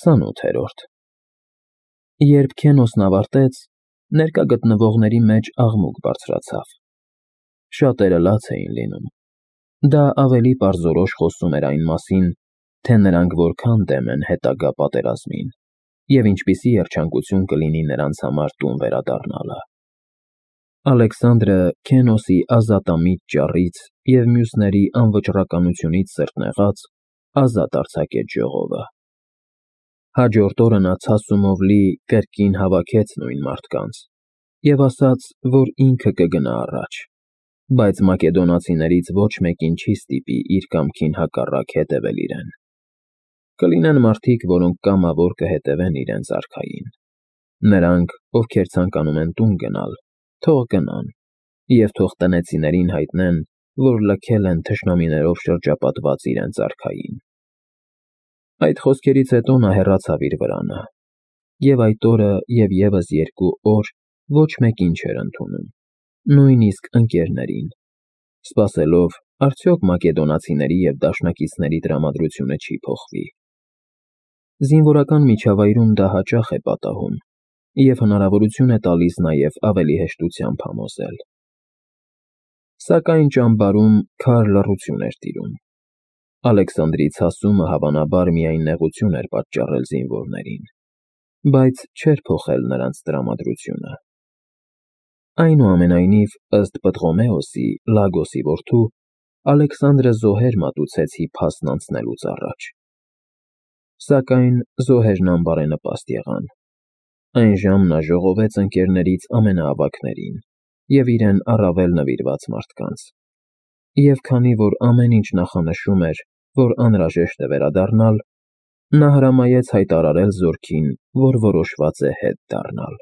28-րդ Երբ Քենոսն ավարտեց, ներկա գտնվողների մեջ աղմուկ բարձրացավ. շատերը լաց էին լինում. դա ավելի պարզորոշ խոսում էր այն մասին, թե նրանք որքան դեմ են հետագա պատերազմին և ինչպիսի երջանկություն կլինի նրանց համար տուն վերադառնալը։ Ալեքսանդրը Քենոսի ազատամիտ ճառից և մյուսների անվճռականությունից սրտնեղած ազատ արձակեց ժողովը։ Հաջորդ օրը նա ցասումով լի կրկին հավաքեց նույն մարդկանց և ասաց, որ ինքը կգնա առաջ, բայց մակեդոնացիներից ոչ մեկին չի ստիպի իր կամքին հակառակ հետևել իրեն։ Կլինեն մարդիկ, որոնք կամավոր կհետևեն իրենց արքային։ Նրանք, ովքեր ցանկանում են տուն գնալ, թող գնան, և թող տնեցիներին հայտնեն, որ լքել են թշնամիներով շրջապատված իրենց արքային։ Այդ խոսքերից հետո նա հեռացավ իր վրանը, և այդ օրը և ևս 2 օր ոչ մեկին չէր ընդունում, նույնիսկ ընկերներին, սպասելով, արդյոք մակեդոնացիների և դաշնակիցների տրամադրությունը չի փոխվի։ Զինվորական միջավայրում դա հաճախ է պատահում և հնարավորություն է տալիս նաև ավելի հեշտությամբ համոզել։ Սակայն ճամբարում քար լռություն էր տիրում։ Ալեքսանդրի ցասումը հավանաբար միայն նեղություն էր պատճառել զինվորներին, բայց չէր փոխել նրանց տրամադրությունը։ Այնուամենայնիվ, ըստ Պտղոմեոսի, Լագոսի որդու, Ալեքսանդրը զոհեր մատուցեց Հիփասն անցնելուց առաջ։ Սակայն զոհերն անբարենպաստ եղան։ Այն ժամ նա ժողովեց ընկերներից ամենաավագներին և իրեն առավել նվիրված մարդկանց, և քանի որ ամեն ինչ նախանշում էր, որ անհրաժեշտ է վերադառնալ, նա հրամայեց հայտարարել զորքին, որ որոշված է հետ դառնալ։